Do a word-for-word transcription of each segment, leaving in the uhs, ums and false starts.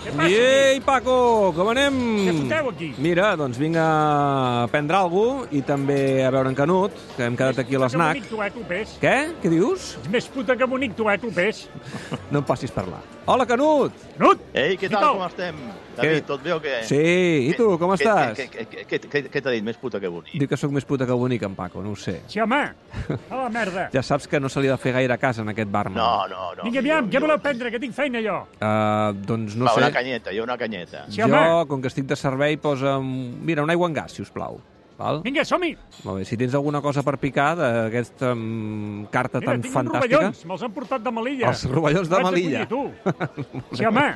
Ei, Paco, com anem? Què foteu aquí? Mira, doncs vinc a prendre alguna cosa i també a veure en Canut, que hem quedat aquí a l'esnac. Que bonic tu, eh, tu, pes. Què? Què dius? Ets més puta que bonic tu, eh, tu, pes. No em passis parlar. Hola, Canut! Canut! Ei, què tal, com estem? David, tot bé o què? Sí, i tu, com estàs? Què t'ha dit, més puta que bonic? Diu que sóc més puta que bonic, en Paco, no ho sé. Sí, home, a la merda. Ja saps que no se li ha de fer gaire cas en aquest barman. No, no, no. Vinga, aviam, què voleu prendre, que tinc feina jo? Uh, doncs no Va, sé. una canyeta, jo una canyeta. Sí, Jo, home. com que estic de servei, posa'm... Mira, una aigua en gas, si us plau. Val? Vinga, som-hi. Molt bé, si tens alguna cosa per picar d'aquesta um, carta Mira, tan tinc uns fantàstica... rovellons, me'ls han portat de Melilla. Els rovellons de Vaig a Melilla. collir, tu. Sí, home.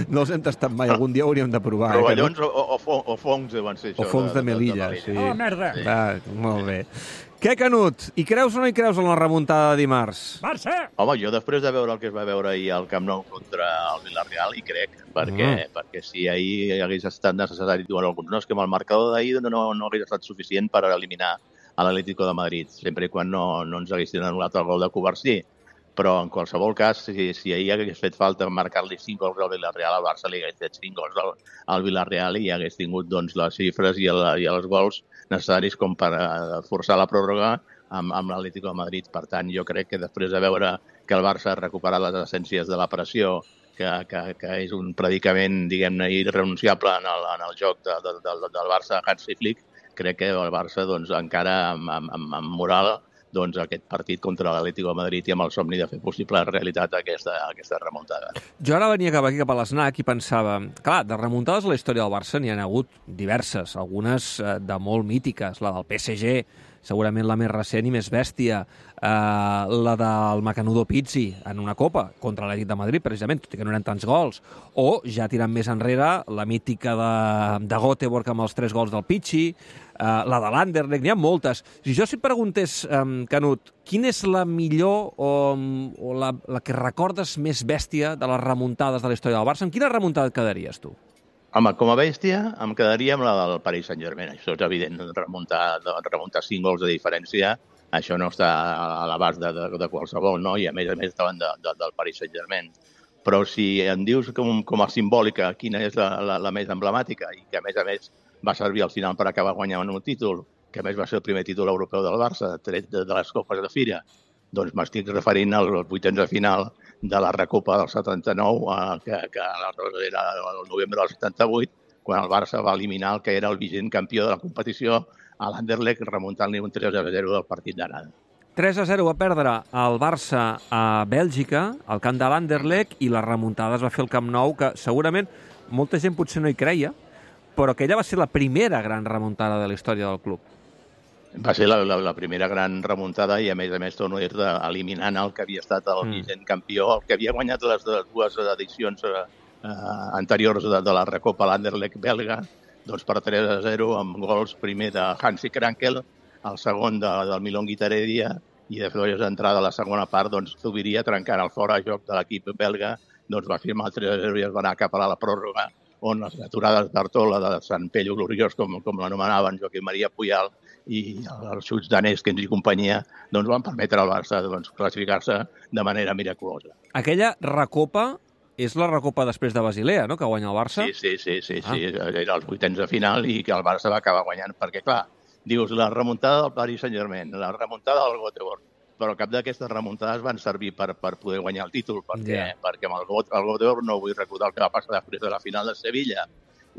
No els hem tastat mai, algun dia hauríem de provar. eh, Rovellons que o, o, o, o fongs deuen ser no? O això. fongs de Melilla, sí. A la merda. Ah, molt bé. Què, Canut? Hi creus o no hi creus en la remuntada de dimarts? Barça. Home, jo després de veure el que es va veure ahir al Camp Nou contra el Villarreal, hi crec, perquè, Mm. perquè si ahir hagués estat necessari, diuen alguns, no, és que amb el marcador d'ahir no, no hagués estat suficient per eliminar a l'Atlético de Madrid, sempre i quan no, no ens haguessin anul·lat el gol de Covarsí. Però, en qualsevol cas, si, si ahir hagués fet falta marcar-li cinc gols al Villarreal, al Barça li hagués fet cinc gols al, al Villarreal i hagués tingut doncs, les xifres i, el, i els gols necessaris com per uh, forçar la pròrroga amb, amb l'Atlético de Madrid. Per tant, jo crec que després de veure que el Barça ha recuperat les essències de la pressió, que, que, que és un predicament, diguem-ne, irrenunciable en el, en el joc de, de, de, del Barça Hansi Flick, crec que el Barça, doncs, encara amb, amb, amb moral, doncs, aquest partit contra l'Atlético de Madrid i amb el somni de fer possible realitat aquesta, aquesta remuntada. Jo ara venia cap aquí, cap a l'esnac, i pensava... Clar, de remuntades a la història del Barça n'hi ha hagut diverses, algunes eh, de molt mítiques. La del P S G, segurament la més recent i més bèstia. Eh, la del Macanudo Pizzi en una copa, contra l'Atlètic de Madrid, precisament, tot i que no eren tants gols. O, ja tirant més enrere, la mítica de, de Göteborg amb els tres gols del Pizzi, Uh, la de l'Anderlecht, n'hi ha moltes. Si jo si et preguntés, um, Canut, quina és la millor o, o la, la que recordes més bèstia de les remuntades de la història del Barça, amb quina remuntada et quedaries, tu? Home, com a bèstia, em quedaria amb la del Paris Saint-Germain. Això és evident, remuntar, remuntar cinc gols de diferència, això no està a l'abast de, de, de qualsevol, no? I a més a més estaven de, de, del Paris Saint-Germain. Però si em dius com, com a simbòlica quina és la, la, la més emblemàtica i que a més a més va servir al final per acabar guanyant un títol, que a més va ser el primer títol europeu del Barça, tret de, de les copes de Fira, doncs m'estic referint als vuitens de final de la Recopa del setanta-nou, eh, que, que era el novembre del setanta-vuit, quan el Barça va eliminar el que era el vigent campió de la competició a l'Anderlecht, remuntant-li un tres a zero del partit d'anada. tres a zero va perdre el Barça a Bèlgica, al camp de l'Anderlecht, i la remuntada es va fer al Camp Nou, que segurament molta gent potser no hi creia, però aquella va ser la primera gran remuntada de la història del club. Va ser la, la, la primera gran remuntada i, a més a més, torno a dir-te, eliminant el que havia estat el mm. vigent campió, el que havia guanyat les, les dues edicions eh, anteriors de, de la Recopa, l'Anderlecht belga, doncs per tres a zero, amb gols primer de Hansi Krankel, el segon de, del Milon Guitaredia, i de fer d'entrada a la segona part, doncs Zubiria, trencant el fora joc de l'equip belga, doncs va firmar el tres a zero i es va anar cap a la pròrroga, on les aturades d'Artola, de Sant Pello Gloriós, com, com l'anomenaven, Joaquim Maria Puyal, i els xuts danès que ens hi companyia, doncs van permetre al Barça doncs, classificar-se de manera miraculosa. Aquella recopa és la recopa després de Basilea, no?, que guanya el Barça? Sí, sí, sí, sí, ah. sí. Era els vuitens de final i que el Barça va acabar guanyant, perquè, clar, dius, la remuntada del Paris Saint-Germain, la remuntada del Göteborg, però cap d'aquestes remuntades van servir per, per poder guanyar el títol, perquè, yeah. perquè amb el, el Göteborg no vull recordar el que va passar després de la final de Sevilla,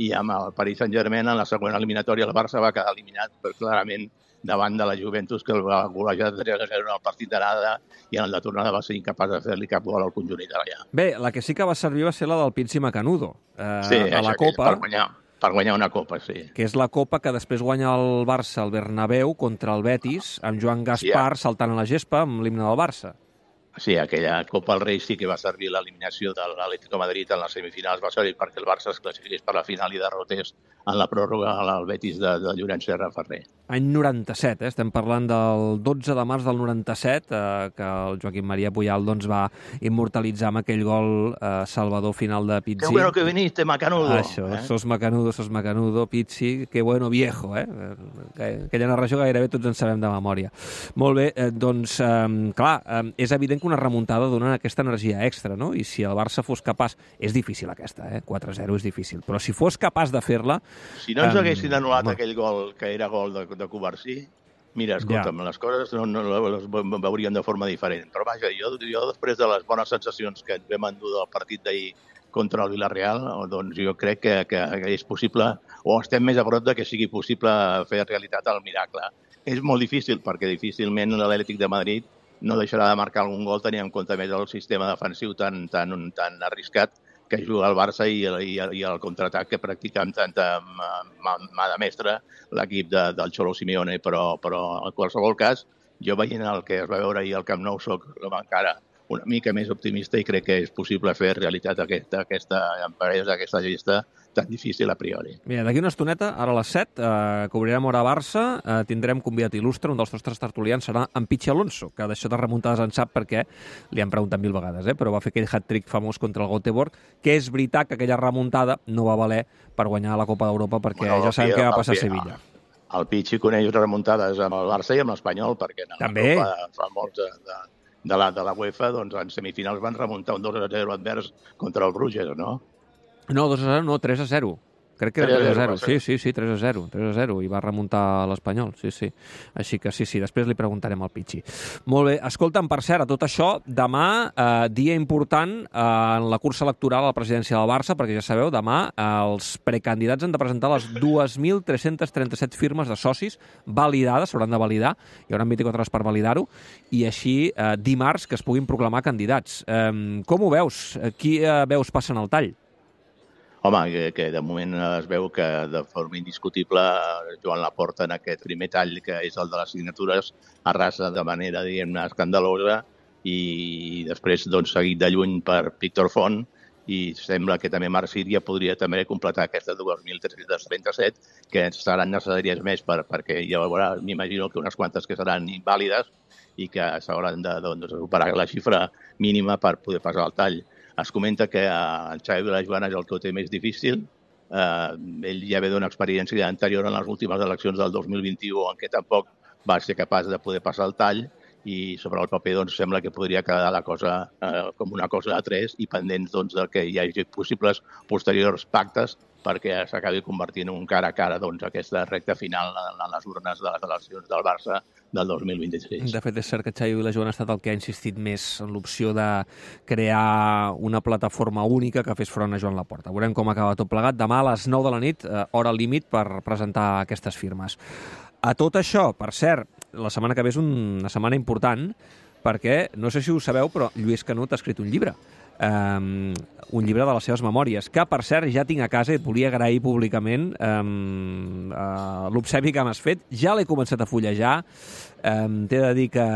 i amb el Paris Saint-Germain en la següent eliminatòria el Barça va quedar eliminat per, clarament davant de la Juventus, que el va golejar de tres a zero en el partit d'anada i en el de tornada va ser incapaç de fer-li cap gol al conjunt italià. Bé, la que sí que va servir va ser la del Pizzi Macanudo, eh, sí, a la Copa. Per guanyar. Per guanyar una copa, sí. Que és la copa que després guanya el Barça al Bernabéu contra el Betis, amb Joan Gaspar sí, saltant a la gespa amb l'himne del Barça. Sí, aquella Copa al Rei sí que va servir l'eliminació de l'Atlético de Madrid en les semifinals, va servir perquè el Barça es classifiqués per la final i derrotés en la pròrroga al Betis de, de Llorenç Serra Ferrer. Any noranta-set, eh? Estem parlant del dotze de març del noranta-set, eh, que el Joaquim Maria Puyal doncs, va immortalitzar amb aquell gol eh, salvador final de Pizzi. Que bueno que viniste, Macanudo. Això, eh? sos Macanudo, sos Macanudo, Pizzi, que bueno viejo, eh? Aquella narració gairebé tots en sabem de memòria. Molt bé, eh, doncs, eh, clar, eh, és evident que una remuntada dona aquesta energia extra, no? I si el Barça fos capaç... És difícil aquesta, eh? quatre a zero és difícil. Però si fos capaç de fer-la... Si no ens um, haguessin anul·lat home. aquell gol, que era gol de, de Covarsí, mira, escolta'm, ja. les coses no, no les veuríem de forma diferent. Però vaja, jo, jo després de les bones sensacions que vam endur del partit d'ahir contra el Villarreal, doncs jo crec que, que, que és possible, o estem més a prop de que sigui possible fer realitat el miracle. És molt difícil, perquè difícilment l'Atlètic de Madrid no deixarà de marcar algun gol, tenint en compte més el sistema defensiu tan, tan, tan arriscat que juga el Barça i, i, i el contraatac que practica amb tanta mà, mà de mestre l'equip de, del Cholo Simeone. Però, però en qualsevol cas, jo veient el que es va veure ahir al Camp Nou soc encara una mica més optimista i crec que és possible fer realitat aquesta, aquesta empresa, aquesta gesta tan difícil a priori. Mira, d'aquí una estoneta, ara a les set, eh, que obrirem Hora Barça, eh, tindrem convidat il·lustre, un dels nostres tertulians serà en Pichi Alonso, que d'això de remuntades en sap perquè li han preguntat mil vegades, eh, però va fer aquell hat-trick famós contra el Göteborg, que és veritat que aquella remuntada no va valer per guanyar la Copa d'Europa, perquè bueno, ja sabem què va passar a Sevilla. El Pichi coneix remuntades amb el Barça i amb l'Espanyol, perquè en També. la Copa fa molts de, de, de, la, de la UEFA, doncs en semifinals van remuntar un dos a zero advers contra el Bruges, no? No, dos a zero, no, tres a zero. Crec que era tres a zero. Sí, sí, sí, tres a zero. tres a zero. I va remuntar l'Espanyol, sí, sí. Així que sí, sí, després li preguntarem al Pichi. Molt bé. Escolta'm, per cert, a tot això, demà, eh, dia important eh, en la cursa electoral a la presidència del Barça, perquè ja sabeu, demà eh, els precandidats han de presentar les dos mil tres-cents trenta-set firmes de socis validades, s'hauran de validar, hi haurà vint-i-quatre hores per validar-ho, i així eh, dimarts que es puguin proclamar candidats. Eh, com ho veus? Qui eh, veus passant el tall? Home, que, que de moment es veu que de forma indiscutible Joan Laporta en aquest primer tall, que és el de les signatures, arrasa de manera, diguem-ne, escandalosa i després doncs, seguit de lluny per Víctor Font i sembla que també Marc Síria podria també completar aquestes dos mil tres-cents trenta-set que seran necessàries més per, perquè hi haurà, m'imagino que unes quantes que seran invàlides i que s'hauran de doncs, superar la xifra mínima per poder passar el tall. Es comenta que el Xavi Vilajoana és el que ho té més difícil. Eh, ell ja ve d'una experiència anterior en les últimes eleccions del dos mil vint-i-u en què tampoc va ser capaç de poder passar el tall i sobre el paper doncs, sembla que podria quedar la cosa eh, com una cosa a tres i pendents doncs, de que hi hagi possibles posteriors pactes perquè s'acabi convertint en un cara a cara doncs, aquesta recta final en les urnes de les eleccions del Barça del dos mil vint-i-sis. De fet, és cert que Xavi Vilajoana ha estat el que ha insistit més en l'opció de crear una plataforma única que fes front a Joan Laporta. Veurem com acaba tot plegat. Demà a les nou de la nit, eh, hora límit per presentar aquestes firmes. A tot això, per cert, la setmana que ve és una setmana important perquè, no sé si ho sabeu, però Lluís Canut ha escrit un llibre. Um, un llibre de les seves memòries, que, per cert, ja tinc a casa i et volia agrair públicament um, uh, l'obsequi que m'has fet. Ja l'he començat a fullejar. Um, T'he de dir que,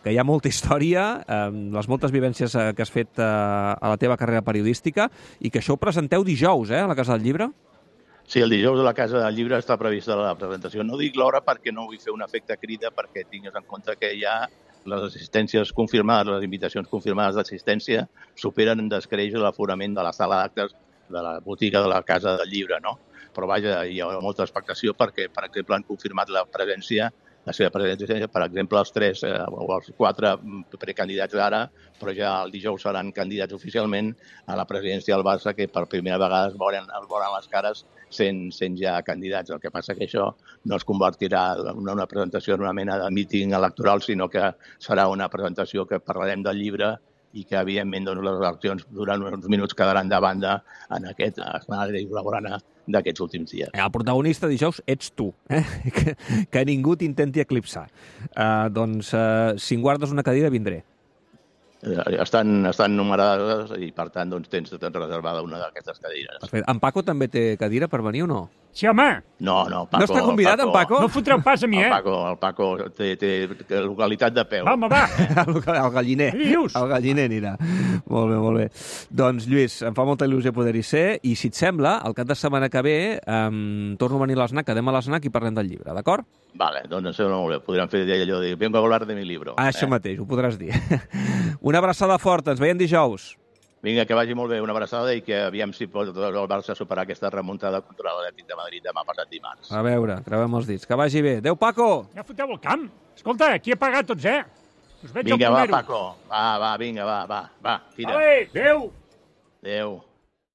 que hi ha molta història, um, les moltes vivències uh, que has fet uh, a la teva carrera periodística i que això ho presenteu dijous, eh, a la Casa del Llibre. Sí, el dijous a la Casa del Llibre està prevista la presentació. No dic l'hora perquè no vull fer un efecte crida, perquè tingues en compte que hi ha les assistències confirmades, les invitacions confirmades d'assistència, superen en descreix l'aforament de la sala d'actes de la botiga de la Casa del Llibre, no? Però vaja, hi ha molta expectació perquè, per exemple, han confirmat la presència, la seva presència, per exemple, els tres eh, o els quatre precandidats d'ara, però ja el dijous seran candidats oficialment a la presidència del Barça, que per primera vegada es veuran, es veuran les cares sent, sent ja candidats. El que passa que això no es convertirà en una presentació en una mena de míting electoral, sinó que serà una presentació que parlarem del llibre i que, evidentment, doncs, les eleccions durant uns minuts quedaran de banda en aquest escenari blaugrana d'aquests últims dies. El protagonista dijous ets tu, eh? que, que ningú t'intenti eclipsar. Uh, doncs, uh, si em guardes una cadira, vindré. Estan, estan numerades i, per tant, doncs, tens, tens reservada una d'aquestes cadires. Perfecte. En Paco també té cadira per venir o no? Sí, home. No, no, Paco... No està convidat, Paco, en Paco? No fotreu pas a mi, eh? El Paco, el Paco té, té localitat de peu. Home, va. El, el galliner. Dius? El galliner anirà. Molt bé, molt bé. Doncs, Lluís, em fa molta il·lusió poder-hi ser i, si et sembla, el cap de setmana que ve um, torno a venir a l'Snac, quedem a l'Snac i parlem del llibre, d'acord? Vale, doncs em sembla molt bé. Podríem fer allò de vengo a hablar de mi libro. Ah, això eh? mateix, ho podràs dir. Una abraçada forta, ens veiem dijous. Vinga, que vagi molt bé, una abraçada i que aviam si pot el Barça superar aquesta remuntada contra l'Atlètic de Madrid demà passat dimarts. A veure, creuem els dits. Que vagi bé. Adéu, Paco! Ja foteu el camp. Escolta, aquí he pagat tots, eh? Us veig Vinga, al va, primero. Paco. Va, va, vinga, va, va, va, tira. Vale, adéu. Adéu.